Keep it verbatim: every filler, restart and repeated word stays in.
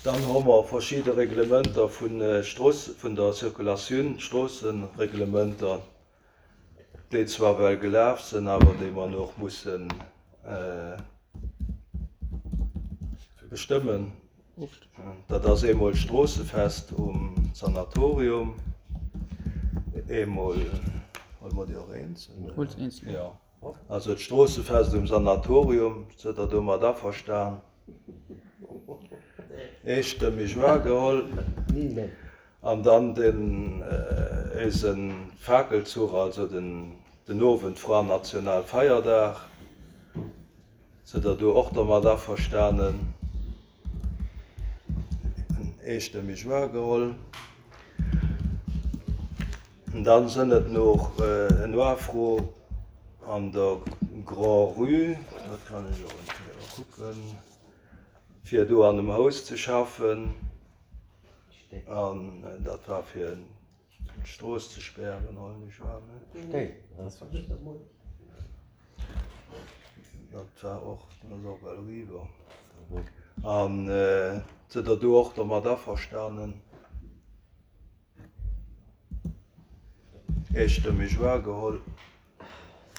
Dann hu mer verschidde Reglementer vun Strooss, vun der Circulatioun, Stroossereglementer, déi zwar well gelaf sinn, awer déi mer nach mussen bestëmmen. Dat ass eemol d'Stroossefest um Sanatorium, eemol, huele mer déi och eenzel? Huel se eenzel. Jo. Also d'Stroossefest um Sanatorium, sidd Der domat averstan? Eestëmmeg wahrgeholl. An dann den éise Fakelzuch, also den den Owend vran Nationalfeierdag. Sidd Der do och domat averstanen? Eestëmmeg wahrgeholl. Dann sënn et noch en Afro an der Grand-Rue, dat kann ech och eng Kéier kucken, fir do an dem Haus ze schaffen. An dat war fir d'Strooss ze spären, hoffen ech war, ne? Dat war och, dat ass och well eriwwer. An sidd Der do och domat averstanen? Eestëmmeg wahrgeholl.